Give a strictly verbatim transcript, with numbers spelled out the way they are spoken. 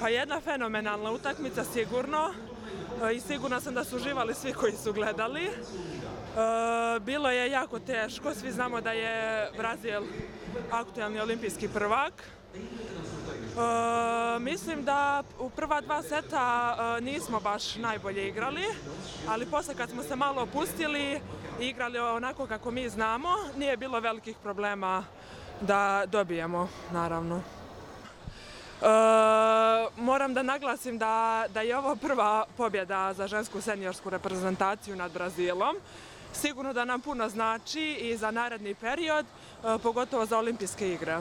Pa jedna fenomenalna utakmica sigurno i sigurna sam da su uživali svi koji su gledali. Bilo je jako teško, svi znamo da je Brazil aktuelni olimpijski prvak. Mislim da u prva dva seta nismo baš najbolje igrali, ali posle kad smo se malo opustili i igrali onako kako mi znamo, nije bilo velikih problema da dobijemo, naravno. E, moram da naglasim da, da je ovo prva pobjeda za žensku seniorsku reprezentaciju nad Brazilom. Sigurno da nam puno znači i za naredni period, pogotovo za olimpijske igre.